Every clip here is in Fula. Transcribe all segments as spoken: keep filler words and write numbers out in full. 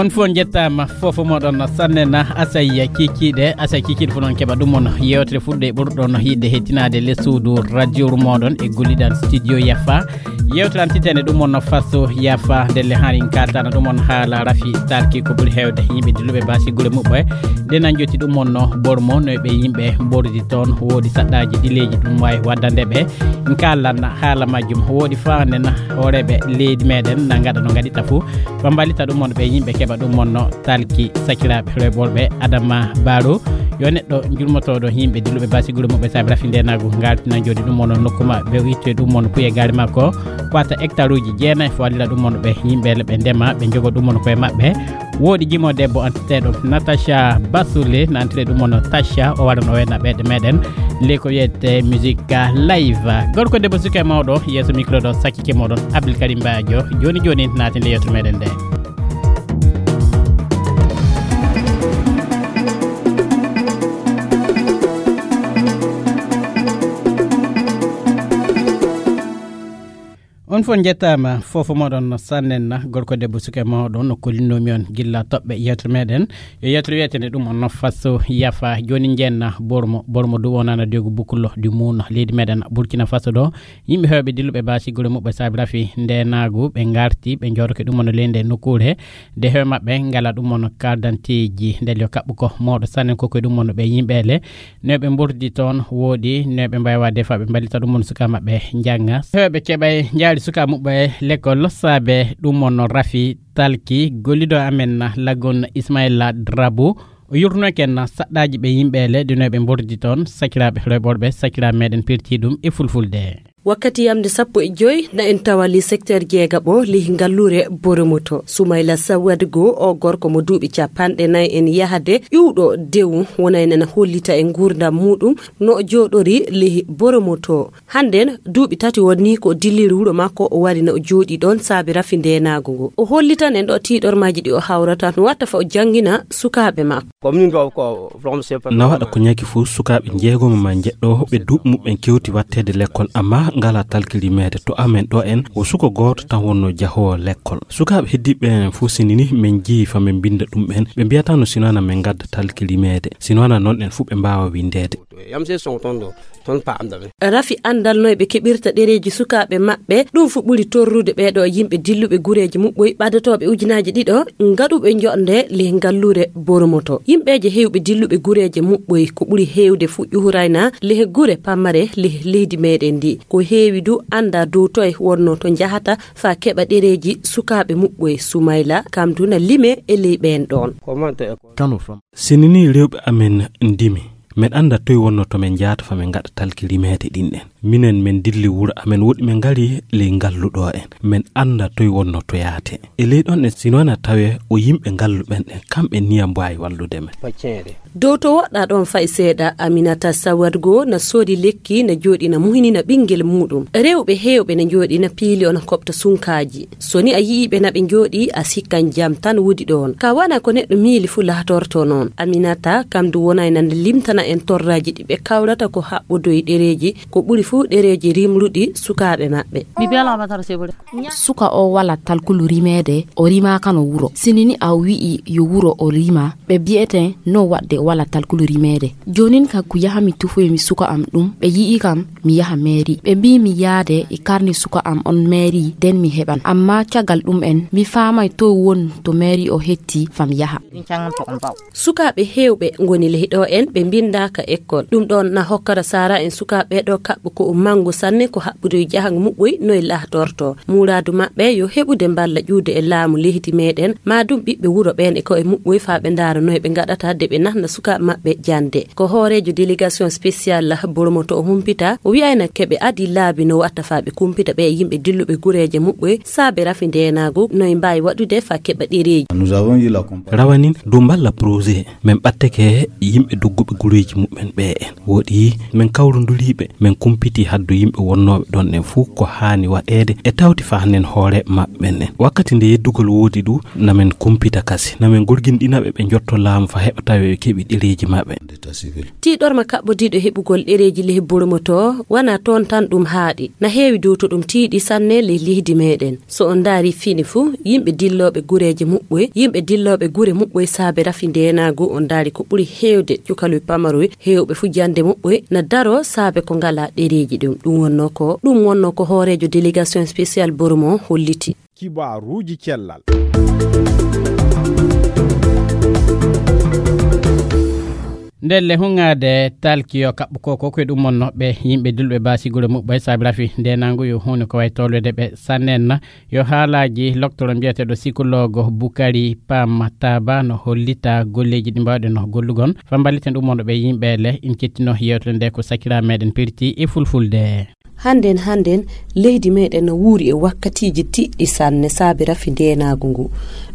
Fof njettaama, fof moɗon sanne na asay kiikiiɗe, asay kiikiiɗe fof noon keɓa ɗum on yewtere fuɗɗo e ɓurɗon yiɗde hettinaade les suudu radio moɗon e golliɗan studio Yafa. Yewtere an titene ɗum on no faso Yafa ndelle harin kaltana ɗum on haala rafi talki ko ɓuri heewde yimɓe dilluɓe basi gure muɓɓe. Nde nan joti ɗum on no bormo no ɓe yimɓe bordi toon woodi saɗɗaji ɗileji ɗum wawi waddande ɓe. Kallan haala majjum woodi faanden hooreɓe leydi meɗen na gaɗa no gaɗita fo. Ɓe mballita ɗum on ɓe yimɓe keɓa ɗum on no talki sakiraɓe reɓorɓe adama baro. Yo neɗɗo jurmotoɗo yimɓe dilluɓe basi gure muɓɓe saabi rafi ndenagu ngartina jooɗi ɗum on nokku ma ɓe itto e ɗum on puye gari makko. Wata hectare uji jeenayi fo wallira ɗum on ɓe yimɓe ɓe ndema ɓe jogo ɗum on koye maɓɓe. Woodi jimo debbo antirteɗo natacha basule na antire ɗum on tacha o waɗan o wenna ɓeyɗe meɗen. Ley ko wiyete musique live gorko debbo suka e mawɗo yeeso micro ɗo sakkike moɗon abdul karim bajo. Joni joni natin le yewtere meɗen nde. On fof njettaama fof moɗon sannen na gorko debbo suka e mawɗo no kollinnomi on gilla toɓɓe yewtere meɗen. Yo yewtere wiyetende ɗum on no faso yafa joni njenna bormo bormo du wonana degu bukullo di muna leydi meɗen burkina faso ɗo. Yimɓe hewɓe dilluɓe basi gure muɓɓe saabi rafi nde naagu ɓe garti ɓe jooɗoke ɗum on leyde nokkure. Nde hewe maɓɓe ngala ɗum on kardanteji ndel yo kaɓɓu ko mawɗo sannen koko e ɗum on ɓe yimɓele. Neɓe mbordi toon woodi neɓe mbawa defa ɓe mballita ɗum on suka maɓɓe janga heɓe keɓay jaari suka muɓɓe. Lekkol saabe ɗum on rafi talki gollido amen lagon ismaila drabo. O yurnoken saɗɗaji ɓe yimɓele de neɓe mbordi toon sakiraɓe reɓorɓe sakiraɓe meɗen pirti ɗum e fulfulde. Wakkati yamde sappo e joy na en tawa li secteur jeegaɓo li ngalluure boromoto sumayla sawad go o gorko mo duuɓi capanɗe nayi en yahade ƴuwɗo dewu wonaynen hollita e nguurndam muɗum no o jooɗori li boromoto. Hannden duuɓi tati wonni ko dilliri wuro makko o wari na o jooɗi ɗon saabi rafi ndeenaago ngo o hollitan en ɗo tiiɗormaaji ɗi o hawrata no watta fa o janngina sukaaɓe makko. Na waɗa ko ñaki fof sukaaɓe jeegomo ma jeɗɗo ɓe duuɓi muɓɓen kewti watteede lekkol amma ngala talkilimeede to amen ɗo en o suko gooto tan wonno jahoowo lekkol sukaaɓe heddiiɓe ɓen fof sinini min jeyi fa min mbinda ɗum ɓen ɓe mbiyata no sinana min ngadda talkilimeede sinana noon en fof ɓe mbaawa winndeede. Rafi anndal no e ɓe keɓirta ɗereeji sukaaɓe maɓɓe ɗum fu ɓuri torrude ɓeeɗo yimɓe dilluɓe gureeji muɓɓoy ɓadotooɓe ujunaaji ɗiɗo ngaɗuɓe joɗnde ley ngalluure boromoto yimɓeeje heewɓe dilluɓe gureeje muɓɓoy ko ɓuri heewde fu ƴuhurayna leh gure pammare leh leydi meɗen ndi ko heewi du annda dow toye wonno to njahata fa keɓa ɗereeji sukaaɓe muɓɓoy sumayla kam du na lime e ley ɓeen ɗoon. Sinini rewɓe amen ndimi men annda toy wonno to men njaata fa men ngaɗa talki rimeede ɗin ɗen minen men dilli wuro amen woɗi men ngari ley ngalluɗo en men annda toy wonno to yaate e ley ɗon ɗen sino na tawe o yimɓe ngallu ɓen ɗen kamɓe niya mbaawi wallude men. Dow to woɗɗa ɗon fay seeɗa aminata sawad goo na soodi lekki na jooɗi na muhini na ɓinngel muuɗum rewɓe heewɓe na jooɗi na piili o na koɓta sunkaaji. So ni a yi'ii ɓe na ɓe njooɗii a sikkan jam tan woodi ɗoon ka wana ko neɗɗo miili fuu laatorto noon aminata kam du wonay nande limtana en torraaji ɗi ɓe kawrata ko haɓɓodoy ɗereeji ko ɓuri fuu ɗereeji rimruɗi sukaaɓe maɓɓe. Suka o wala talkulu rimeede o rimaakano wuro sinini a wi'i yo wuro o rima ɓe bi'eten no waɗde wala talkulu rimeede. Joonin kaggu yaha mi tufoy mi suka am ɗum ɓe yi'i kam mi yaha meeri ɓe mbii mi yaade e karni suka am on meeri den mi heɓan amma caggal ɗum en mi faamay toy won to meeri o hetti fam yaha. Sukaaɓe heewɓe ngoni ley ɗo en ɓe mbinndaaka ekkol ɗum ɗoon na hokkata saara en sukaaɓe ɗo kaɓɓo ko o manngu sanne ko haɓɓude e jahango muɓɓoy noy lahtorto muuraadu maɓɓe yo heɓude mballa ƴuude e laamu leydi meeɗen maa ɗum ɓiɓɓe wuro ɓeen e koye muɓɓoy faa ɓe ndaara noy ɓe ngaɗata de ɓe nahna sukaaɓe maɓɓe jannde. Ko hooreejo délégation spéciale boromoto o humpita o wi'ayna keɓe adii laabi no watta faa ɓe kumpita ɓe yimɓe dilluɓe gureeje muɓɓoy saabe rafi ndeenaagu noy mbaawi waɗude faa keɓa ɗereeji. Rawanin dow mballa projet men ɓatteke yimɓe dogguɓe gure Ji muɓɓen ɓe en woɗi, min kawronduriiɓe, min kumpitii haddu yimɓe wonnooɓe ɗon ɗen fuu ko haani waɗeede e tawti faa hannden hoore maɓɓe ɓen ɗen. Wakkati nde yeddugol woodi du, na min kumpita kasi, na min gorginɗina ɓe ɓe njotto laamu faa heɓa tawee ɓe keɓi ɗereeji maɓɓe. Tiiɗorma kaɓɓodiiɗo heɓugol ɗereeji lehe Boromo to, wanaa toon tan ɗum haaɗi, na heewi dow to ɗum tiiɗi sanne ley leydi meeɗen. So on ndaari fini fuu, yimɓe dillooɓe gureeje muɓɓoy, yimɓe dillooɓe gure muɓɓoy saabe rafi ndeenaagu, on ndaari ko ɓuri heewde cukaloy pamaroy, heewɓe fuu jannde muɓɓoy na daroo saabe ko ngalaa ɗereeji ɗum. Ɗum wonnoo ko, ɗum wonnoo ko hooreejo délégation spéciale Boromo holliti. Kibaaruuji cellal. Ndelle huŋaade talki yo kaɓɓu ko, ko e ɗum wonnoo ɓe yimɓe dillooɓe baasi gure muɓɓoy saabe rafi ndeenaagu yo huunde ko wayi tolwede ɓe sanne na. Yo haalaaji loktoro mbiyeteeɗo sikologo Bukari Pam Taba no hollita golleeji ɗi mbaawɗen no gollugol. Faa mballiten ɗum wonɗo ɓe yimɓe le, in cettino yeewtere nde ko sakiraaɓe meeɗen pirti e fulfulde. Hannden, hannden, leydi meeɗen no wuuri e wakkatiiji tiɗɗi sanne saabe rafi ndeenaagu ngu.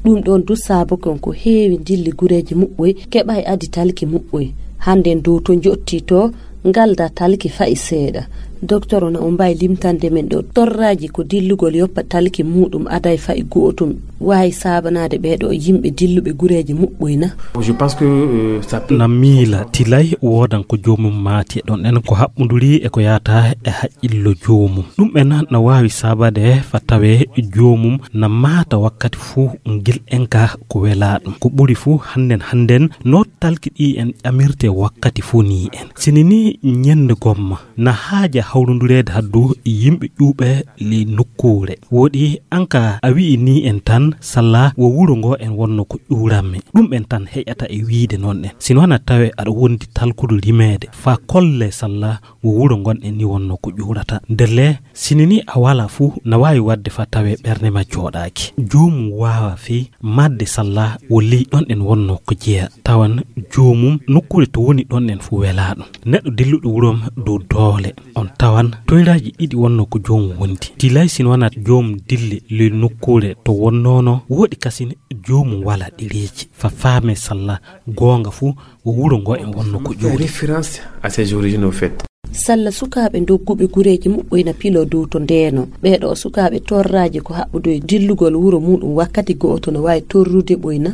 Ɗum ɗoon du saabu kon ko heewi dilli gureeji muɓɓoy, keɓaay adi talki muɓɓoy. Hannden dow to njottii to, ngaldaa talki fa'i seeɗa. Doktor, na o mbaawi limtande men ɗo torraaji ko dillugol yoppa talki muuɗum aday fa'i go'otum waawi saabanaade ɓee ɗoo yimɓe dilluɓe gureeji muɓɓoy na? Je pense que, euh, ça peut... Na miila tilay woodan ko joomum maati e ɗon en ko haɓɓunduri e ko yaata e haqqillo joomum. Ɗum en na waawi saabade faa tawee joomum na maata wakkati fuu ngil en ka ko welaa ɗum. Ko ɓuri fuu hannden hannden no talki ɗi en ƴamirte wakkati fuu nii en. Sini ni ñennde gomma na haaja hawrondureede haddu yimɓe ƴuuɓe ley nokkuure. Woɗi an ka a wi'i nii en tan salla wo wuro ngo en wonno ko ƴuurammi. Ɗum en tan heƴata e wiide noon en. Sino hana tawe aɗa wondi talkudu rimeede faa kolle salla wo wuro ngon en ni wonno ko ƴuurata. Ndelle sini ni a wala fuu na waawi waɗde faa tawe ɓernde ma jooɗaaki. Joomum waawa fii maatde salla wo ley ɗon en wonno ko jeya. Tawan joomum nokkuure to woni ɗon en fuu welaa ɗum. Neɗɗo dilluɗo wurom dow doole, on tawan toyraaji ɗiɗi wonno ko joomum wondi. Tilay sino wanaa joomum dilli ley nokkuure to wonnoono, woɗi kasin joomum wala ɗereeji. Faa faame salla goonga fuu wo wuro ngo en wonno ko ƴuuri. Référence à ses origines, au fait. Salla sukaaɓe dogguɓe gureeji muɓɓoy na piloo dow to ndeeno. Ɓee ɗoo sukaaɓe torraaji ko haɓɓudoy dillugol wuro muuɗum wakkati go'oto no waawi torrude ɓoy na?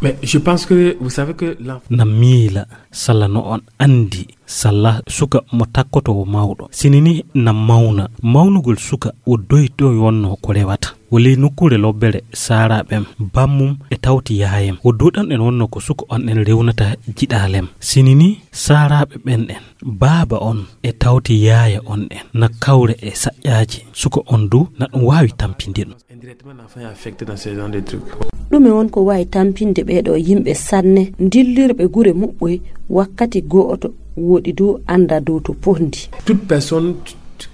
Mais je pense que, vous savez que l'enfant... Na miila, salla no on anndi, salla suka mo takkoto wo mawɗo. Sini ni na mawna. Mawnugol suka wo doyto wonno ko rewata. Wo ley nokkuure lobbere saaraaɓem, bammum e tawti yaayem. Wo dow ɗon en wonno ko suka on en rewnata jiɗaalem. Sini ni saaraaɓe ɓen en, baaba on e tawti yaaya on en na kawre e saƴƴaaji. Suka on du na ɗum waawi tampinde ɗum. Indirectement, l'enfant est affecté dans ce genre de truc. Ɗume won ko waawi tampinde ɓee ɗoo yimɓe sanne, dillirɓe gure muɓɓoy wakkati go'oto, woɗi du annda dow to pondi? Toute personne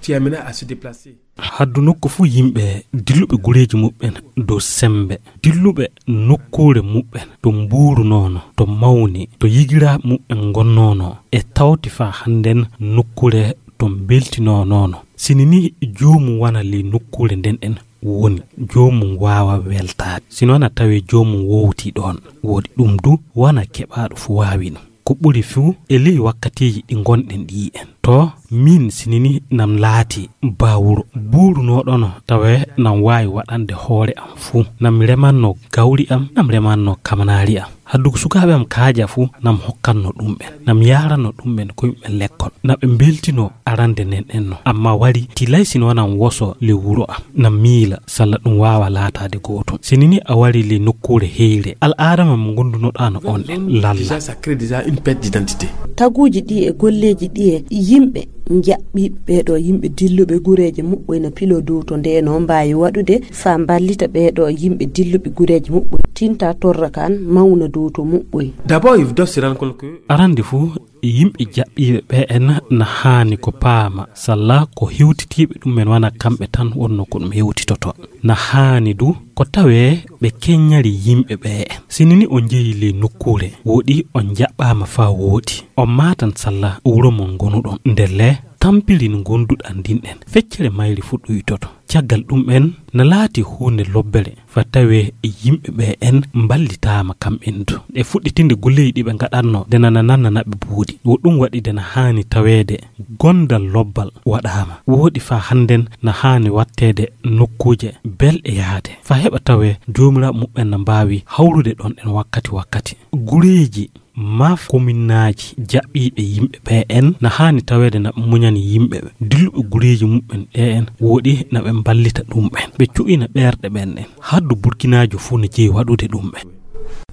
qui est amenée à se déplacer. Haddu nokku fuu yimɓe dilluɓe gureeji muɓɓen dow semmbe, dilluɓe nokkuure muɓɓen to mbuurunoono, to mawni, to yigiraaɓe muɓɓen ngonnoono, e tawti faa hannden nokkuure to mbeltinoonono. Sini ni joomum wana ley nokkuure nden en woni, joomum waawa weltaade. Sino na tawee joomum wowtii ɗoon, woɗi ɗum du wana keɓaaɗo fuu waawi ɗum. Ko ɓuri fuu e ley wakkatiiji ɗi ngonɗen ɗii en. To miin sini ni nam laati baa wuro, buurunooɗono tawee nam waawi waɗande hoore am fuu. Nam remanno gawri am, nam remanno kamanaari am. Haddu ko sukaaɓe am kaaja fuu nam hokkanno ɗum en. Nam yaaranno ɗum en ko yimɓe lekkol. Na ɓe mbeltino arande nden en no. Amma wari tilay sino nam woso ley wuro am. Nam miila salla ɗum waawa laataade gootum. Sini ni a wari ley nokkuure heyre, al'aadama mo ngondunoɗaa no on en lalla. Déjà, ça crée déjà une perte d'identité. Taguuji ɗi e golleeji ɗi e yimɓe njaɓɓi ɓee ɗoo yimɓe dilluɓe gureeje muɓɓoy na piloo dow to ndeeno mbaawi waɗude faa mballita ɓee ɗoo yimɓe dilluɓe gureeje muɓɓoy tinta torra kan mawna dow to muɓɓoy. D'abord, il doit se rendre compte que... Arande fuu, yimɓe jaɓɓiiɓe ɓe en na haani ko paama, salla ko hewtitiiɓe ɗum en wana kamɓe tan wonno ko ɗum hewtitoto. Na haani du ko tawee ɓe keññari yimɓe ɓe en. Sini ni on njehii ley nokkuure, woɗi on njaɓɓaama faa wooɗi. On maatan salla wuro mon ngonuɗon. Ndelle, tampiri no ngonduɗaa ndin en. Feccere mayri fuu ɗuytoto. Caggal ɗum en, na laati huunde lobbere fa tawee e yimɓe ɓe en mballitaama kam en du. E fuɗɗitinde golleeji ɗi ɓe ngaɗatno, de nana nanna naɓe buuɗi. Wo ɗum waɗi de na haani taweede gondal lobbal waɗaama. Wooɗi fa hannden na haani watteede nokkuuje belɗe yaade. Fa heɓa tawee joomiraaɓe muɓɓen na mbaawi hawrude ɗon ɗen wakkati wakkati. Gureeji maa kominnaaji jaɓɓiiɓe yimɓe ɓe en na haani taweede na ɓe muñani yimɓe ɓe. Dilluɓe gureeji muɓɓen ɗe en wooɗi na ɓe mballita ɗum ɓen. Ɓe cu'ina ɓeerɗe ɓen ɗen. Haddu Burkinaajo fuu no jeyi waɗude ɗum ɓen.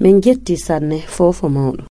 Min njetti sanne foofo mawɗo.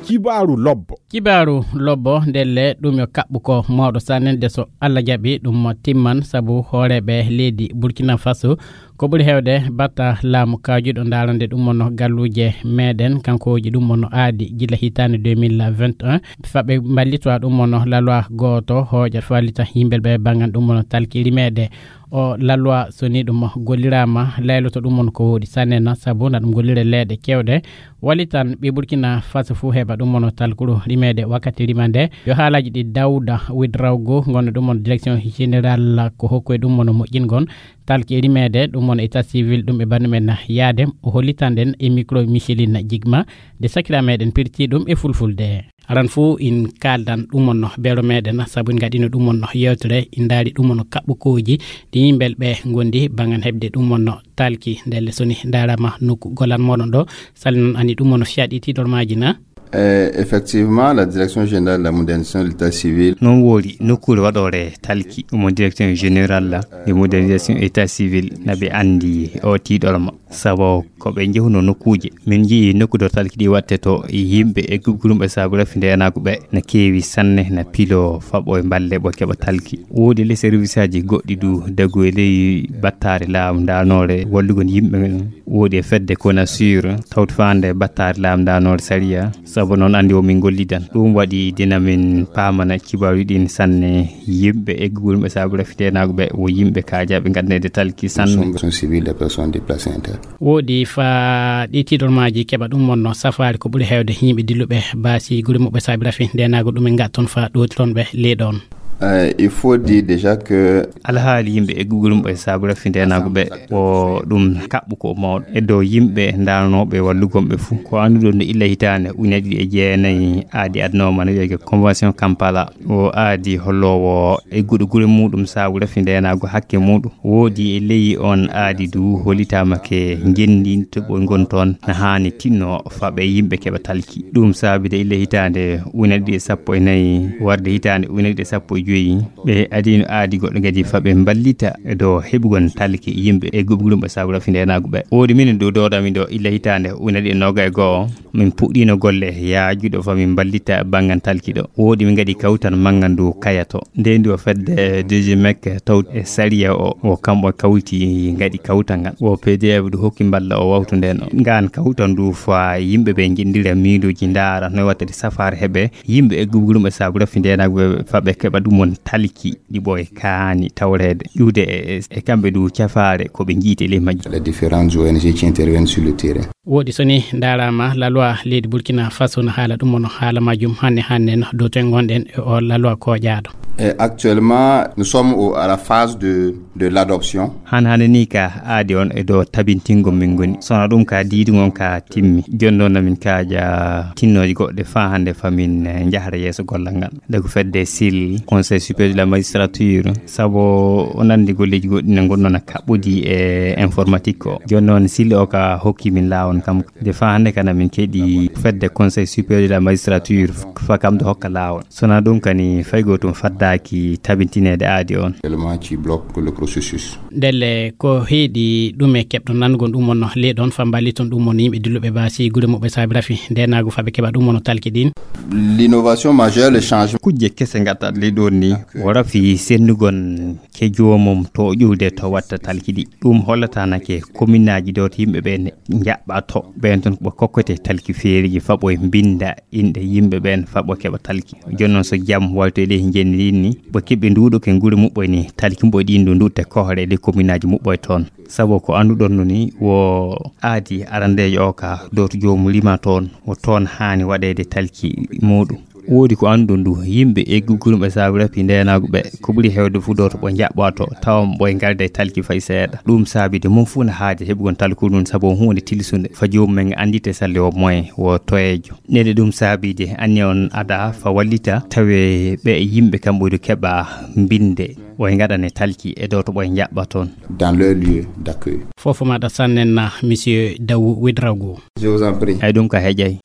Kibaaru lobbo. Kibaaru lobbo ndelle ɗum yo kaɓɓu ko mawɗo sanne de so Allah jaɓi ɗum mo timman sabu hooreeɓe leydi Burkina Faso ko ɓuri heewde batta laamu kaajuɗo ndaarande ɗum mono galluuje meɗen kankooji ɗum mono aadi gila hitaande deux mille vingt et un fa ɓe mballitowa ɗum mono lalwa gooto hooƴa fallita yimɓe ɓe banngan ɗum mono talki rimeede. O lalwa so ni ɗum golliraama layloto ɗum mono ko wooɗi sanne na sabu na ɗum gollire leeɗe kewɗe. Walitan ɓe Burkina Faso fuu heɓa ɗum mono talkuru rimeede wakkati rima nde. Yo haalaaji ɗi Dawda Widrawgo ngonno ɗum mono direction générale ko hokku e ɗum mono moƴƴingol talki rimeede ɗum mono état civil ɗum e banndum en yaade. O hollitan ɗen e micro Micheline Jigma nde sakira meɗen pirti ɗum e fulfulde. Aran fuu in kaaldan ɗum mono beero meɗen sabu in ngaɗino ɗum mono yewtere in ndaari ɗum mono kaɓɓukooji ɗi yimɓe ɓe ngondi bangan heɓde ɗum mono talki ndelle soni ndaarama nokku golan moɗon ɗo. Sali noon ani ɗum mono fiyaɗi tiiɗormaaji na. Eh, effectivement, la Direction Générale de la Modernisation de l'État Civil. Noon woori nokkuure waɗoore talki ɗum o Direction Générale de Modernisation État Civil na ɓe anndi o tiiɗorma sabu ko ɓe njehuno nokkuuje min njii nokkude talki ɗi watte to yimɓe e gubgurumɓe saabu rafi ndeenaagu ɓe na keewi sanne na pilo faɓo e mballe ɓo keɓa talki. Woodi le service aji goɗɗi du dagu e ley battaare laamu ndaanoore wallugol yimɓe ɓen. Woodi e fedde Konasur tawti faande battaare laamu ndaanoore sariya sabu noon anndi o min gollidan ɗum waɗi dina min paamana kibaaru ɗin sanne. Yimɓe eggugol ɓe saabu rafi ndeenaagu ɓe wo yimɓe kaajaaɓe nganndeede talki sanne. Sont civil des personnes déplacées internes. Woodi fa ɗi tiiɗormaaji keɓa ɗum wonno safaari ko ɓuri heewde yimɓe dilluɓe baasi gure muɓɓe saabi rafi ndeenaagu ɗum en ngatton fa ɗootiron ɓe ley ɗoon. Euh, il faut dire déjà que alhaali yimɓe eggugol mum e saabu rafi ndeenaagu ɓe o ɗum kaɓɓu ko mawɗo e dow yimɓe ndaanooɓe wallugol ɓe fuu. Ko annduɗon no illa hitaande ujunere ɗiɗi e jeenayi aadi adnooma no wiyetee convention Kampala. O aadi holloowo egguɗo gure muɗum saabu rafi ndeenaagu hakke muɗum. Woodi e ley on aadi du hollitaama ke ngenndi to ɓe ngon toon na haani tinno fa ɓe yimɓe keɓa talki. Ɗum saabide ille hitaande ujunere ɗiɗi e sappo e nayi warde hitaande ujunere ɗiɗi e sappo e joyi. Ɓe adino aadi goɗɗo ngadi fa ɓe mballita e dow heɓugol talki yimɓe e gubgulum ɓe saabu rafi ndeenaagu ɓe. Woodi minen dow doodami ɗo ille hitaande ujunere ɗiɗi e noogaye e go'o. Min puɗɗiino golle yaajuɗo fa min mballita banngan talki ɗo. Woodi min ngaɗi kawtal manngan dow kaya to. Nde ndi o fedde D G mec tawti e sariya o, o kamɓe kawti ngaɗi kawtal ngal. O P D F du hokki mballa o wawtu nden o. Ngaan kawtal ndu fa yimɓe ɓe njiɗndira miiluuji ndaara no wattati safaare heɓe yimɓe e gubgulum e saabu rafi ndeenaagu ɓe fa ɓe keɓa ɗum won talki ɗi ɓooye kaani tawreede. Ƴuwde e, e, e kamɓe du cafaare ko ɓe njiiti e ley majji. Les différentes O N G qui interviennent sur le terrain. Woodi soni ndaaraama la loi leydi Burkina Faso no haala ɗum, ono haala majjum hanne hanne no dow to en ngonɗen e o la loi kooƴaaɗo. Et actuellement, nous sommes au, à la phase de, de l'adoption. Han hannde ni ka aadi on e dow tabintingol min ngoni. Sona ɗum ka diidungol ka timmi. Jooni noon min kaaja tinnooji goɗɗe faa hannde fa min, eh, njahra yeeso gollal ngal. Dagu fedde sil, Conseil supérieur de la magistrature, sabu o nandi golleeji goɗɗi ne ngonno na kaɓɓodi e informatique o. Jooni noon sil o ka hokki min laawol kam. Nde faa hannde kana min keɗi fedde Conseil supérieur de la magistrature fa kam do hokka laawol. Sona ɗum kani fay gootum faddaaki tabintineede aadi on. Élément qui bloque le processus. Ndelle ko heedi ɗum e keɓɗo nangol ɗum on ley ɗon fa mballiton ɗum on yimɓe dilluɓe baasi gure muɓɓe saabi rafi ndenaagu fa ɓe keɓa ɗum on talki ɗin. L'innovation majeure, le changement. Kujje kese ngaɗɗat ley ɗon ni, o rafi sennugol ke joomum to o ƴuwde to watta talki ɗi. Ɗum hollata nake kominaaji ɗo to yimɓe ɓe ne njaɓɓa to ɓen ton ɓe kokkote talki feeriji fa ɓoye mbinda inɗe yimɓe ɓen fa ɓo keɓa talki. Jooni noon so jam wayto e ley njenni ɗin ni, ɓe keɓe nduɗo ke gure muɓɓoy ni, talki mboy ɗin ɗo ndutte kohre e ley kominaaji muɓɓoy toon. Sabu ko annduɗon no ni, wo aadi arandeejo o ka, ɗo to joomum rima toon, wo toon haani waɗeede talki muuɗum. Woodi ko annduɗon ndu, yimɓe e guggurum e saabi rafi ndeenaagu ɓe. Ko ɓuri heewde fuu dooto ɓo njaɓɓaato, tawa ɓo e ngarde talki fay seeɗa. Ɗum saabi de mum fuu na haaja heɓugol talkuru ndun, sabu huunde tilsunde. Fa joomum men anndite salle o moyen wo toyeejo. Nde ɗum saabi de anni on ada fa wallita, tawe ɓe yimɓe kam ɓuri keɓa mbinde. O e ngaɗane talki e dooto ɓo e njaɓɓa toon. Dans leur lieu d'accueil. Fofo maɗa sannen na, monsieur Dawu Widrago. Je vous en prie. Ay ɗum ka heƴay.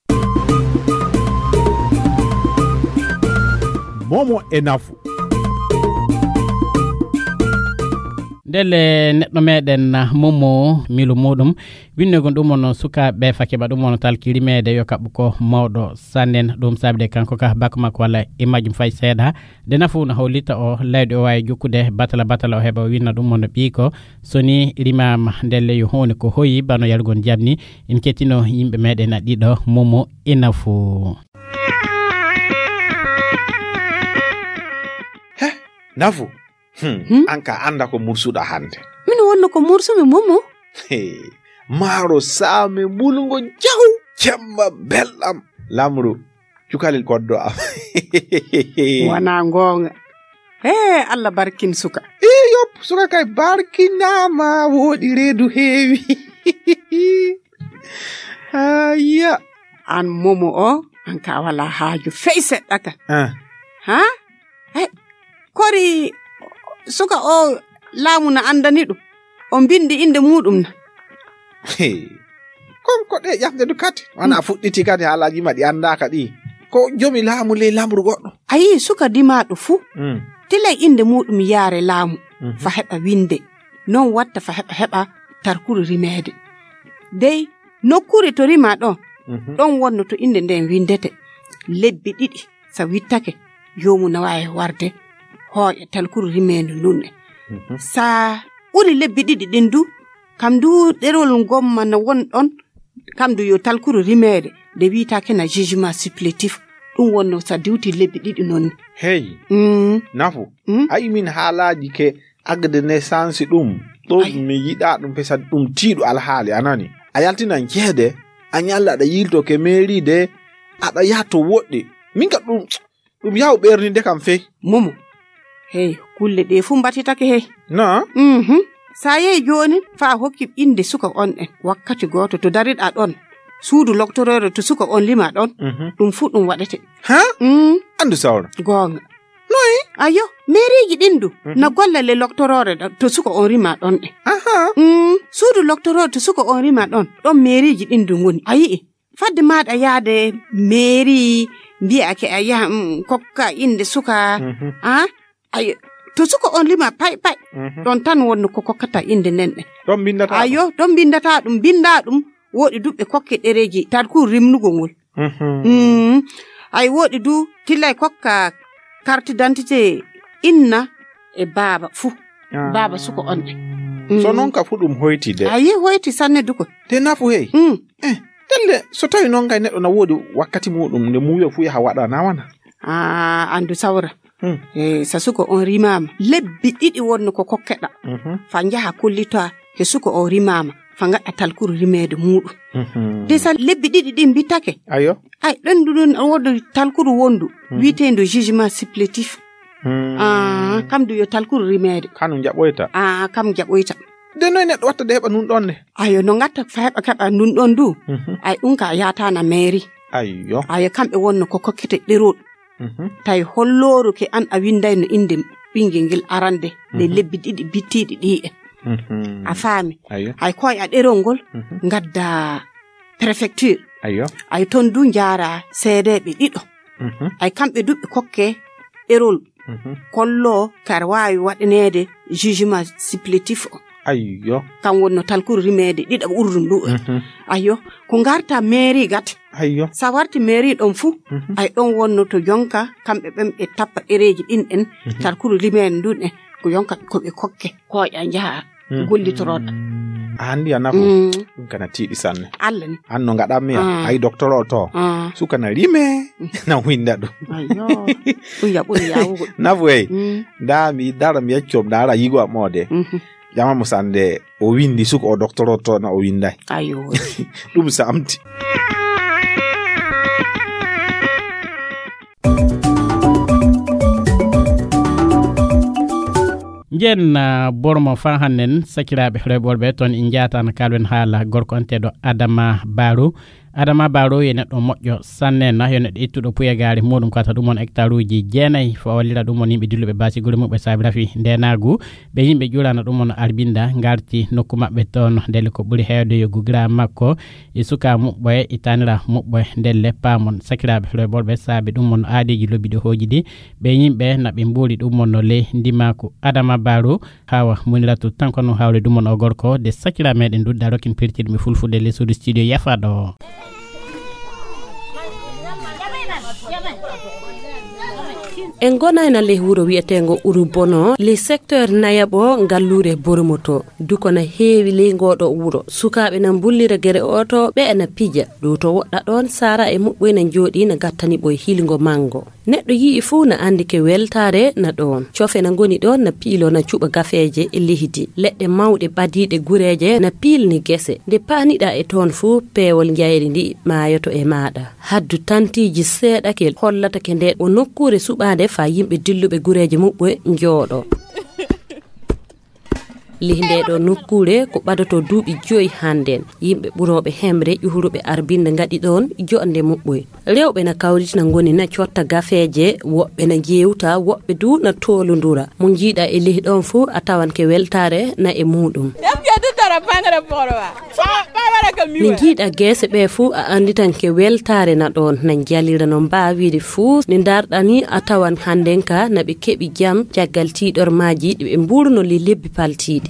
Momo e nafu. Ndelle neɗɗo meɗen, ah, Momo, milu muɗum, winnegol ɗum on sukaaɓe fa keɓa ɗum on talki rimeede yo kaɓɓu ko mawɗo sannen. Ɗum saabi de kanko ka bak makko walla e majjum fay seeɗa. De nafu na hollita o layɗo o waawi jokkude batala batala o heɓa o winna ɗum on ɓiiko. So ni rimaama ndelle yo huunde ko hoyi bano yarugol jam ni. En kettino yimɓe meɗen a ɗiɗo, Momo e nafu. He, nafu. Hmm. Hmm? An ka annda ko mursuɗa hannde. Min wonno ko mursumi, Momo. He, maaro saame mbulungo jaw, jemma belɗam. Lamru, cukalel koddo am. Wana goonga. He, Allah barkin suka. Iyop, suka kay barkinaama, woodi reedu heewi. Aya. An Momo o, an ka wala haaju fey seɗɗa ka. Ah. Ha? He, kori suka o laamu na anndani ɗum? O mbindi innde muɗum na? Hey. Kon ko ɗe ƴamde du kadi. Wana fuɗɗiti kadi haalaaji ma ɗi anndaaka ɗi. Ko jomi laamu ley lamru goɗɗo. A yii suka dimaaɗo fuu. Mm. Tilay innde muɗum yaare laamu. Mhm. Fa heɓa winde. Non watta fa heɓa heɓa tarkuru rimeede. Dey, nokkuure to rimaa ɗon, mhm, ɗon wonno to innde nden windete. Lebbi ɗiɗi, sa wittake, joomu na waawi warde hooƴa talkuru rimeendu ndun. Mhm. Sa ɓuri lebbi ɗiɗi ɗin du, kam du ɗerol ngomma na won ɗon, kam du yo talkuru rimeede, nde wiitaake na jugement supplétif, ɗum wonno sa diwti lebbi ɗiɗi non. Hey, mm, nafu. Mm. Ay min haalaaji ke agde naissance ɗum. Ɗum ay mi yiɗa ɗum pesa ɗum tiiɗo alhaali, a nani? A yaltinan ceede, a ñalla aɗa yilto ke mairie de, aɗa yaha to woɗɗi. Min ka ɗum, ɗum yaw ɓerninde kam fey. Momo. Hey, kulle ɗe fu mbatitake hey. Na? Mhm. Sa yehi jooni, fa hokki innde suka on en. Wakkati gooto to dariɗa ɗon. Suudu loktoroore to suka on lima ɗon. Mhm. Ɗum fu ɗum waɗete. Ha? Mm. Andu sawra. Goonga. Noy? Ayo, meeriiji ɗin du, mhm, na golla le loktoroore ɗo, to suka on rima ɗon ɗe. Aha. Mm, suudu loktoroore to suka on rima ɗon, ɗon meeriiji ɗin du ngoni. A yi'i, fadde maaɗa yaade meeri, mbi'ake a yaha, mm, kokka innde suka, mhm, a? Ayo, to suka on lima pay pay, mhm, ɗon tan wonno ko kokkata innde nden ɗe. Ɗon mbindata ɗum? Ayo, ɗon mbindata ɗum, mbinda ɗum, woɗi duɓɓe kokke ɗereeji, tarku rimnugol ngol. Mhm. Mm. Ay woɗi du, tillay kokka carte d'identité inna e baaba fu. Ah. Baaba suko on ɗe. Mm. So non ka fu ɗum hoyti de. Ayi hoyti sanne duko. De nafu hey. Mm. Eh, telle so tawi non kay neɗɗo na woodi wakkati muɗum nde muuyo fu yaha waɗa na wana. Ah, andu sawra. Hmm. Eh, sa suko on rimama. Lebbi ɗiɗi wonno ko kokkeɗa. Mhm. Fa njaha kollita he suko o rimama. Fa ngaɗa talkuru rimeede muɗum. Mhm. De sa lebbi ɗiɗi ɗin mbittake. Ayo. Ay, ɗon du ɗon wodo talkuru wondu. Mhm. Wi'eteedu jugement supplétif. Hmm. Ah, kam du yo talkuru rimeede. Kanu jaɓoyta. Ah, kam jaɓoyta. De noy neɗɗo watta de heɓa nun ɗon ne? Ayo, no ngatta fa heɓa keɓa nun ɗon du. Mhm. Ay, ɗum ka yaatana mairie. Ayyo. Ayo, kamɓe wonno ko kokkete ɗerol. Mhm. Tawi hollooru ke an a winndayno innde ɓinngel ngel arande, ɗe, mhm, lebbi ɗiɗi bittiiɗi ɗi en. Mhm. A faami? Ayyo. Hay koy a ɗerol ngol, mhm, ngadda préfecture. Ayyo. Ay toon du njaara seedeeɓe ɗiɗo. Mhm. Ay kamɓe du ɓe kokke ɗerol. Mhm. Kollo kar waawi waɗaneede jugement supplétif o. Ayyo. Kan wonno talkuru rimeede ɗiɗaɓo ɓurɗum ɗum. Mhm. Ayyo. Ko ngarta mairie gat. Ayyo. Sa warti mairie ɗon fu, mhm, ay ɗon wonno to jonka, kamɓe ɓen ɓe tappa ɗereeji ɗin ɗen, mhm, talkuru rimeede ndun ɗen, ko yonka ko ɓe kokke, koƴa njaha, mhm, gollitoroɗa. A anndi a nafo? Mm. Ɗum kana tiiɗi sanne. Allah ni. An no ngaɗammi ya? Ah. Ay docteur o to. Ah. Suka na rime, mm, na winda ɗum. Ayyo. Ɗum ya ɓuri yawugo. Nafo ey. Mm. Nda mi dara mi yecco, nda ara yigo am o de. Mhm. Ƴama mo sande o windi suka o docteur o to na o winday. Ayo. Ɗum samti. Njen bormo fan hannen sakiraaɓe rewɓe worɓe toon en njaataano kaalwen haala gorko anteeɗo Adama Baro. Adama Baro yo neɗɗo moƴƴo sanne na yo neɗɗo ittuɗo puyagaari muɗum kata ɗum on hectare uji jeenayi fo wallira ɗum on yimɓe dilluɓe baasi gure muɓɓe saabi rafi ndenaagu. Ɓe yimɓe ƴurana ɗum on arbinda ngarti nokku maɓɓe toon ndelle ko ɓuri heewde yo gugira makko e suka muɓɓoye e tanira muɓɓoye ndelle paamon sakiraaɓe rewɓe worɓe saabi ɗum on aadeeji lobbiɗo hooji ɗi. Ɓe yimɓe na ɓe mbuuri ɗum on no ley ndimaaku Adama Baro. Hawa muniratu tan kono hawle ɗum on o gorko de sakira meɗen dudda rokin pirtirmi fulfude les suudu studio yafaɗo. En gonayna ley wuro wiyeteengo Urubono ley secteur nayaɓo ngalluure Boromoto. Duko na heewi ley ngooɗo wuro. Sukaaɓe na mbullira gere oto ɓe na pija. Ɗo to woɗɗa ɗoon Sara e muɓɓoy na njooɗi na gattani ɓoy hilngo manngo. Neɗɗo yi'i fuu na anndi ke weltaare na ɗoon. Cofe na ngoni ɗoon na piilo na cuɓa gafeeje e lehdi. Leɗɗe mawɗe ɓadiiɗe gureeje na piilni gese. Nde paaniɗaa e toon fuu peewol njayri ndi maayoto e maaɗa. Haddu tantiiji seeɗa ke hollata ke nde o nokkuure suɓaande faa yimɓe dilluɓe gureeje muɓɓe njooɗo. Lih nde ɗo nokkuure ko ɓadoto duuɓi joyi hannden. Yimɓe ɓurooɓe hemre ƴuhuruɓe arbinde ngaɗi ɗoon joɗnde muɓɓoy. Rewɓe na kawritina ngoni na cotta gafeeje, woɓɓe na jeewta, woɓɓe du na toolondura. Mo njiiɗa e lih ɗoon fuu a tawan ke weltaare na e muuɗum. Nde njiiɗa geese ɓe fuu a annditan ke weltaare na ɗoon na njalira no mbaawiri fuu. Nde ndarɗani a tawan hannden ka na ɓe keɓi jam caggal tiiɗormaaji ɗi ɓe mbuurno li lebbi paltiiɗi.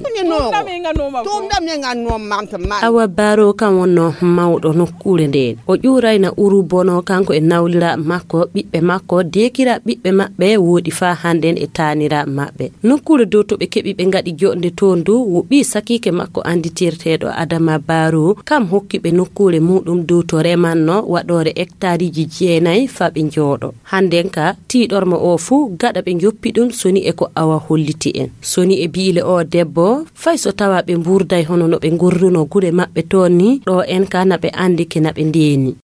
Awa Baro kan wonno mawɗo nokkuure ndeen. O ƴuurayna Uru Bono kanko e nawlira makko, ɓiɓɓe makko, deekira ɓiɓɓe maɓɓe woodi faa hannden e taanira maɓɓe. Nokkuure dow to ɓe keɓi ɓe ngaɗi joɗnde toon du wo ɓii sakiike makko annditirteeɗo Adama Baro, kam hokki ɓe nokkuure muuɗum dow to remanno waɗoore hectareeji jeenayi faa ɓe njooɗo. Hannden ka tiiɗorma o fuu gaɗa ɓe njoppi ɗum soni e ko awa holliti en. Soni e biile o debbo, fay so tawa ɓe mbuurday hono no ɓe ngorruno gure maɓɓe toon ni, ɗo en ka na ɓe anndi ke na ɓe ndeeni.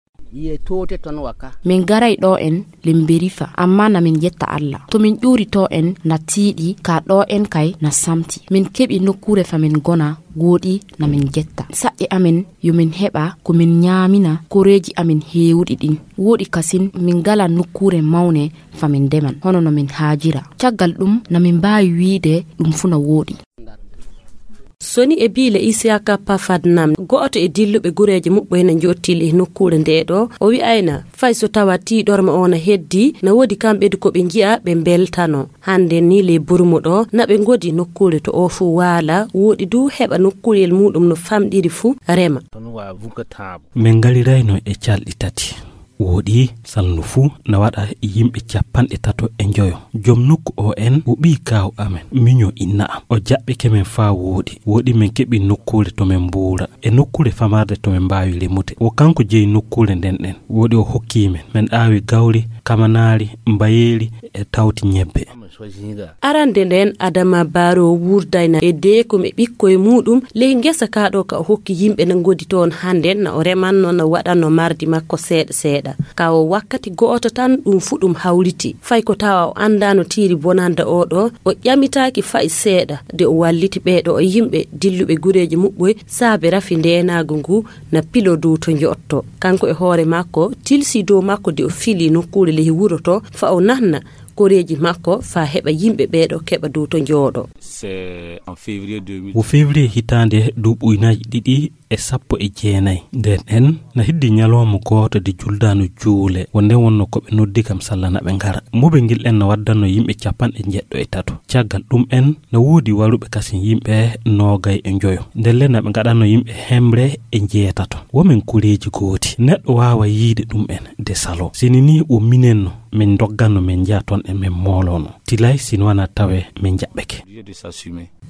Min garay ɗo en Limberifa, amma na min jetta Alla. To min ƴuuri to en na tiiɗi, ka ɗo en kay na samti. Min keɓi nokkuure fa min gona, wooɗi na min jetta. Saƴƴe amin yo min heɓa ko min ñaamina koreeji amin heewuɗi ɗin. Wooɗi kasin min ngala nokkuure mawne fa min ndeman, hono no min haajira. Caggal ɗum na min mbaawi wiide ɗum fu na wooɗi. Soni e biile Isiyaka Pafadnam, go'oto e dilluɓe gureeje muɓɓoy na njottili e nokkuure nde ɗo, o wi'ayna, fay so tawa tiiɗorma o na heddi, na woodi kamɓe du ko ɓe nji'a ɓe mbeltano. Hannden ni ley Burmo ɗo, na ɓe ngodi nokkuure to o fuu waala, wooɗi du heɓa nokkuuyel muuɗum no famɗiri fuu rema. Min ngarirayno e calɗi tati. Wooɗi salndu fuu na waɗa yimɓe capanɗe tato e njoyo. Jom nokku o en o ɓii kaaw amen, miño inna am. O jaɓɓike men faa wooɗi. Wooɗi min keɓi nokkuure to min mbuura. E nokkuure famarde to min mbaawi remude. Wo kanko jeyi nokkuure nden ɗen. Wooɗi o hokki men. Min aawi gawri, kamanaari, mbayeeri e tawti ñebbe. Arande nden Adama Baro wurdayna e deekum e ɓikkoy muuɗum ley ngesa ka ɗo ka o hokki yimɓe na ngodi toon hannden na o remanno na waɗanno mardi makko seeɗa seeɗa. Ka o wakkati go'oto tan ɗum fu ɗum hawriti. Fay ko tawa o anndaano tiiri bonanda o ɗo, o ƴamitaaki fay seeɗa de o walliti ɓee ɗo o yimɓe dilluɓe gureeji muɓɓoy saabe rafi ndeenaagu ngu na pilo dow to njotto. Kanko e hoore makko tilsi dow makko de o fili nokkuure ley wuro to fa o nanna koreeji makko faa heɓa yimɓe ɓee ɗo keɓa dow to njooɗo. Wo février hitaande duuɓi ujunaaji ɗiɗi e sappo e jeenayi. Nden en na heddi ñalawma gooto de juldaano juule, wo nden wonno ko ɓe noddi kam salla na ɓe ngara. Mobel ngel en na waddanno yimɓe capanɗe njeɗɗo e tato. Caggal ɗum en na woodi waruɓe kasin yimɓe noogay e njoyo. Ndelle na ɓe ngaɗanno yimɓe hemre e njeetato. Wo men kureeji gooti. Neɗɗo waawa yiide ɗum en de salo. Sini ni wo minen no min ndogganno min njaha toon e min moolono. Tilay sini wana tawe min njaɓɓeke.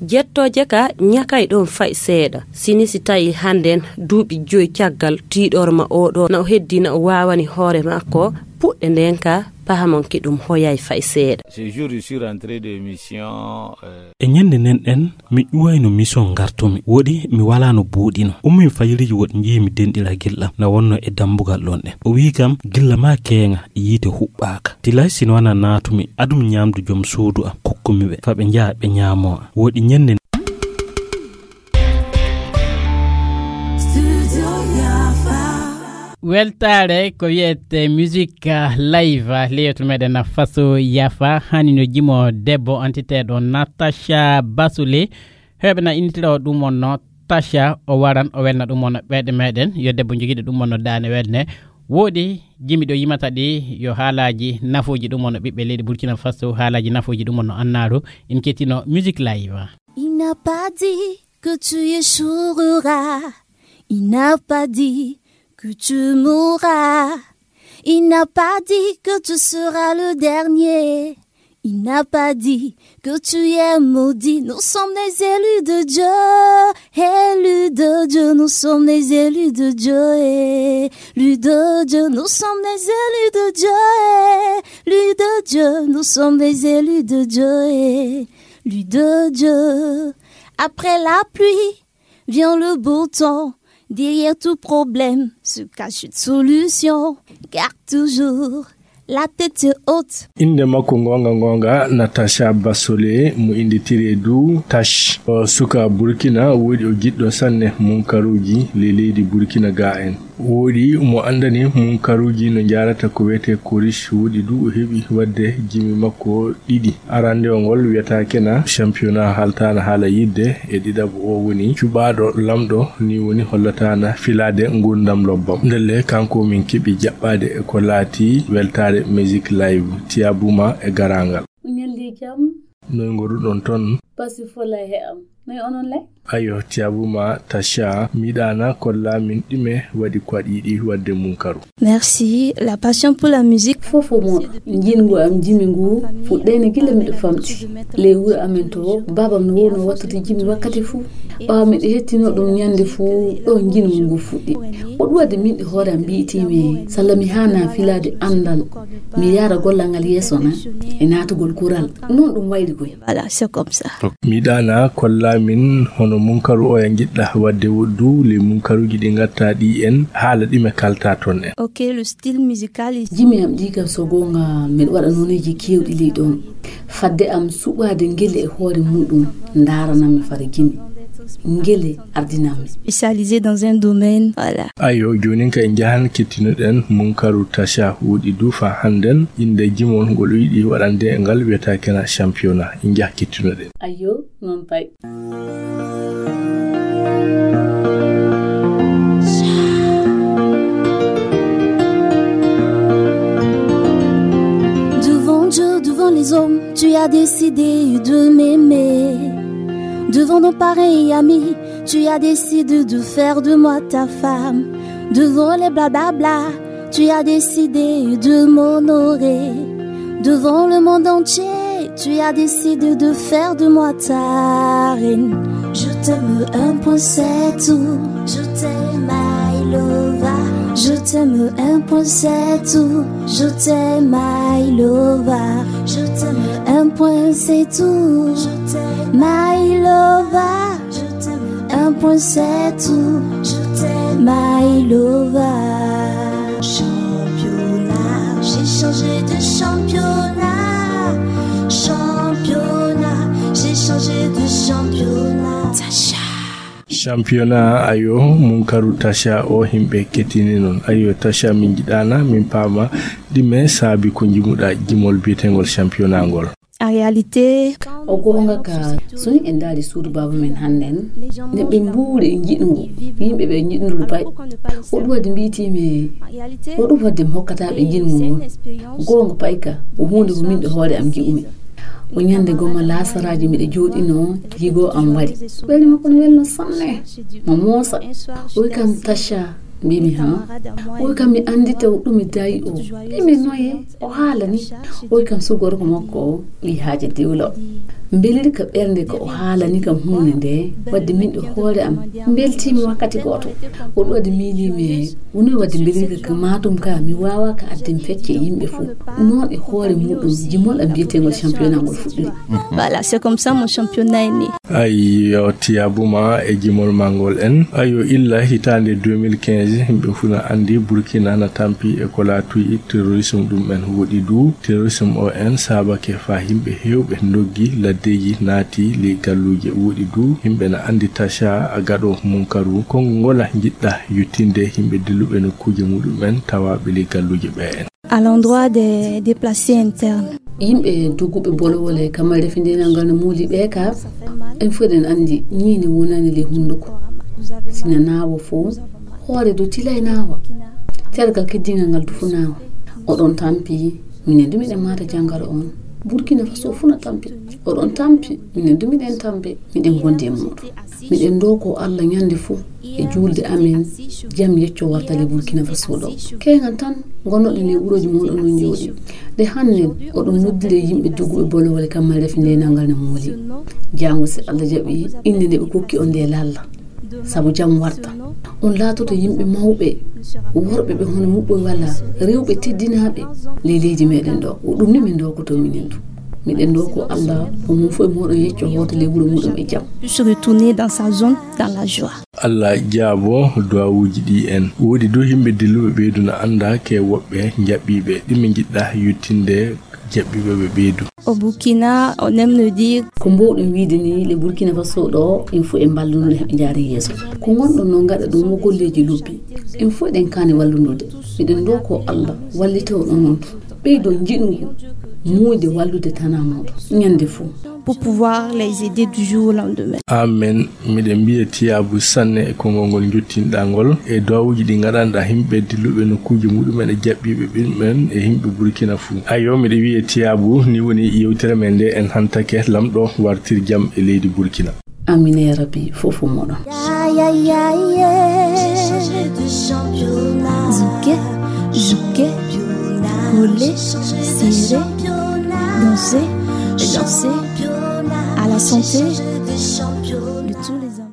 Jettooje ka ñakay ɗoon fay seeɗa. Sini si tawi hannden duuɓi joy caggal tiiɗorma o ɗo na o heddi na o waawani hoore makko puɗɗe nden ka Pahamon ki ɗum hoyay fay seeɗa. Ce jour, je suis rentré de mission. E ñande nden ɗen, mi ƴuwayno mission ngartumi. Woɗi mi walaano buuɗino. Ummi fajiriji woɗi njii mi denɗira gilɗam na wonno e dambugal ɗon ɗen. O wi'i kam, "Gilla ma keeŋa, yiite huɓɓaaka." Tilay sino wana naatumi, adum ñamdu jom suudu am, kokkumi ɓe. Fa ɓe njaha ɓe ñaamo am. Woɗi ñande Weltaare ko wiyete musique live, leydi meɗen Faso Yafa, hani no jimo debbo on witeeɗo Natasha Basule. Heɓe na innitira o ɗum on no Tasha, o waran o welna ɗum on no ɓeɗe meɗen, yo debbo jogiiɗo ɗum on no daane welne. Woodi jimi ɗo yimata ɗi, yo haalaaji nafuuji ɗum on no ɓiɓɓe leydi Burkina Faso, haalaaji nafuuji ɗum on no annaaru, in kettino musique live. Il n'a pas dit que tu échoueras. Il n'a pas dit que tu mourras. Il n'a pas dit que tu seras le dernier. Il n'a pas dit que tu es maudit. Nous sommes les élus de Dieu. Élus de Dieu, nous sommes les élus de Dieu. Élus de Dieu, nous sommes les élus de Dieu. Élus de Dieu, nous sommes les élus de Dieu. Élus de Dieu. Après la pluie, vient le beau temps. Derrière tout problème se cache une solution. Garde toujours la tête haute. Innde makko goonga goonga, Natasha Basole, mo innditiree du Tash. O suka Burkina, woodi o jiɗɗo sanne munkaruuji le leydi Burkina ga en. Woodi mo anndani munkaruuji no njaarata ko wiyetee Korish, woodi du o heɓi waɗde jimi makko ɗiɗi. Arande o ngol wiyata kena championnat haltaana haala yidde, e ɗiɗaɓo o woni cuɓaaɗo lamɗo, ni woni hollatana filaade ngurdam lobbam. Ndelle kanko min keɓi jaɓɓaade e ko laati weltaare musique live. Tiyabuma e garangal. Ñalli jam. Noy ngoruɗon ton? Pasi fola he am. Noy onon le? Ayo, tiyabuma Tasha, miɗana kolla min ɗime waɗi ko aɗa yiɗi waɗde munkaru. Merci. La passion pour la musique. Fofo mo jingu am jimi ngu fuɗɗene gila miɗo famɗi. Ley wuro amen to, babam no wowno wattude jimi wakkati fuu. Ɓaawo miɗo hettino ɗum ñande fuu, ɗo jingu ngu fuɗɗi. O ɗum waɗde min e hoore am mbiyetimi, salla mi haana filaade anndal, mi yaara gollal ngal yeeso na e naatugol kural. Noon ɗum wayri koy. Voilà, c'est comme ça. Miɗana kolla min hono munkaru oya njiɗɗa waɗde woɗdu, le munkaruji ɗi ngatta ɗi en, haala ɗi me kalta ton en. Ok, le style musical is... Jimi am ɗi kam so goonga, miɗo waɗa nooneeji keewɗi ley ɗon. Fadde am suɓaade ngele e hoore muɗum, ndaarana mi fara jimi. Ngele ardinammi. Spécialisé dans un domaine, voilà. Ayo, jonin ka en njahan kettinoɗen munkaru Tasha woɗi du fa hannden, innde jimol ngol o yiɗi waɗande e ngal wiyata kena championnat. En njah kettinoɗen. Ayo, noon pay. Devant Dieu, devant les hommes, tu as décidé de m'aimer. Devant nos parents et amis, tu as décidé de faire de moi ta femme. Devant les blablabla, tu as décidé de m'honorer. Devant le monde entier, tu as décidé de faire de moi ta reine. Je t'aime un point, c'est tout. Je t'aime, my lover. Je t'aime un point, c'est tout. Je t'aime, my lover. Je t'aime un point, c'est tout. Je t'aime, my lover. Je t'aime un point, c'est tout. Je t'aime, my lover. Championnat, j'ai changé de championnat. Championnat, j'ai changé de championnat. Tasha. Championnat, ayo, munkaru Tasha o himɓe kettini non. Ayo, Tasha, min jiɗana, min paama ɗime saabi ko jimuɗa jimol biyetengol championnat ngol. En réalité, o goonga ka, so ni en ndaari suudu baaba men hannden, ne ɓe mbuuri e njiɗngu, yimɓe ɓe njiɗndu pay. O ɗum waɗi mbiyetiimi, o ɗum waɗde mi hokkata ɓe njiɗngu ngun. Goonga pay ka, o huunde ko min ɗo hoore am ji'umi. O ñande goma laasaraaji miɗo jooɗino, yigo am wari. Welni mo kono welno sanne, mo moosa. O wi kam, "Tasha," mbimi, "Ha?" O wi kam, "Mi anndita o ɗum mi dayi o." Mbimi, "Noye?" O haalani, o wi kam, "Sugorko makko o wi haaje diwlo." Mbelirka ɓernde ko o haalani kam huunde nde, wadde min e hoore am mbeltiimi wakkati gooto. O ɗo waɗi miiliimi e woni wadde mbelirka ka maatum ka mi waawa ka adden fecce yimɓe fof. Noon e hoore muɗum jimol am mbiyeteengol championnat ngol fuɗɗori. Voilà, c'est comme ça mon championnat est né. Ayyo, tiyabuma e jimol ma ngol en. Ayyo, illa hitaande deux mille quinze, yimɓe fof na anndi Burkina na tampi e ko laatoyi terrorisme ɗum en woɗi du. Terrorisme o en saabake fa yimɓe heewɓe ndoggi laddeeji naati ley galluuje woɗi du. Yimɓe na anndi taca a gaɗo munkaru. Konngol ngol a njiɗɗa yuttinde yimɓe dilluɓe nokkuuje muɗum en tawaaɓe ley galluuje ɓe en. À l'endroit des déplacés internes. Yimɓe dogguɓe bolowole kammal refindenal ngal no muuli ɓe ka, en fof eɗen anndi ñiinde wonani ley hunnduko. Sina naawa fof, hoore dow tilay naawa. Tergal keddingal ngal du fof naawa. Oɗon tampi, minen du miɗen maata jangaro on. Burkina Faso fof na tampi. Oɗon tampi, minen du miɗen tampi. Miɗen ngondi e muɗum. Miɗen ndoko Allah ñande fof e juulde amen, jam yecco warta ley Burkina Faso ɗo. Keeŋan tan ngonnoɗen e wuroji mon onon jooɗi. Nde hannden oɗon noddiri yimɓe dogguɓe bolowole kammal refindenal ngal ne mooli. Jaango si Allah jaɓi, innde nde ɓe kokki on nde lalla. Sabu jam warta. On laatoto yimɓe mawɓe, worɓe ɓe hono muɓɓoy walla rewɓe teddinaaɓe ley leydi meɗen ɗo. Ko ɗum ni min ndokoto minen du. Miɗen ndoko Allah, o mum fof e moɗon yecco hoota ley wuro muɗum e jam. Puisse retourner dans sa zone, dans la joie. Allah jaabo duwawuuji ɗi en. Woodi du yimɓe dilluɓe ɓeydu na annda ke woɓɓe jaɓɓiiɓe. Ɗi min njiɗɗa yuttinde jaɓɓiiɓe ɓe ɓeydu. Au Burkina, on aime nous dire. Ko mbowɗen wiide ni le Burkina Faso ɗo, en fof en mballunoo heɓe njaari yeeso. Ko ngonɗon noon ngaɗa ɗum mo golleeji lobbi. En fof eɗen kaani wallunude. Miɗen ndoko Allah wallita on onon. Ɓeydo njiɗngu muuyde wallude tanaa mooɗon ñande fof. Pour pouvoir les aider du jour au lendemain. Amen. Miɗen mbiya tiyaabu sanne e konngol ngol njottinɗaa ngol e duwawuuji ɗi ngaɗanɗaa yimɓe dilluɓe nokkuuji muɗumen e jaɓɓiiɓe ɓiɓɓe men e yimɓe Burkina fuu. Ayyo, miɗo wiya tiyaabu, ni woni yewtere men nde en hantake lamɗo wartir jam e leydi Burkina. Amin ya Rabbi, fof fof moɗon. Zouké, zouké, collé, serré, danser, danser, à la santé de tous les hommes.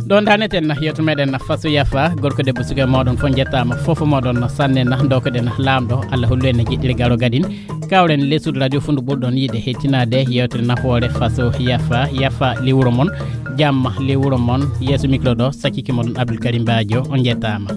Ɗo ndaneten yeewtere meɗen Faso Yafa, gorko debbo suka moɗon fof jettama, fof moɗon sanne na dokoɗen lamɗo, Allah hollu en jeɗɗire garo gadin. Kawren lesude radio fundu ɓurɗon yiide hettinaade yewtere nafoore Faso Yafa, Yafa lewuro mon, jamma lewuro mon, yeeso micro ɗo sakkiki moɗon Abdoul Karim Badio, on jettama.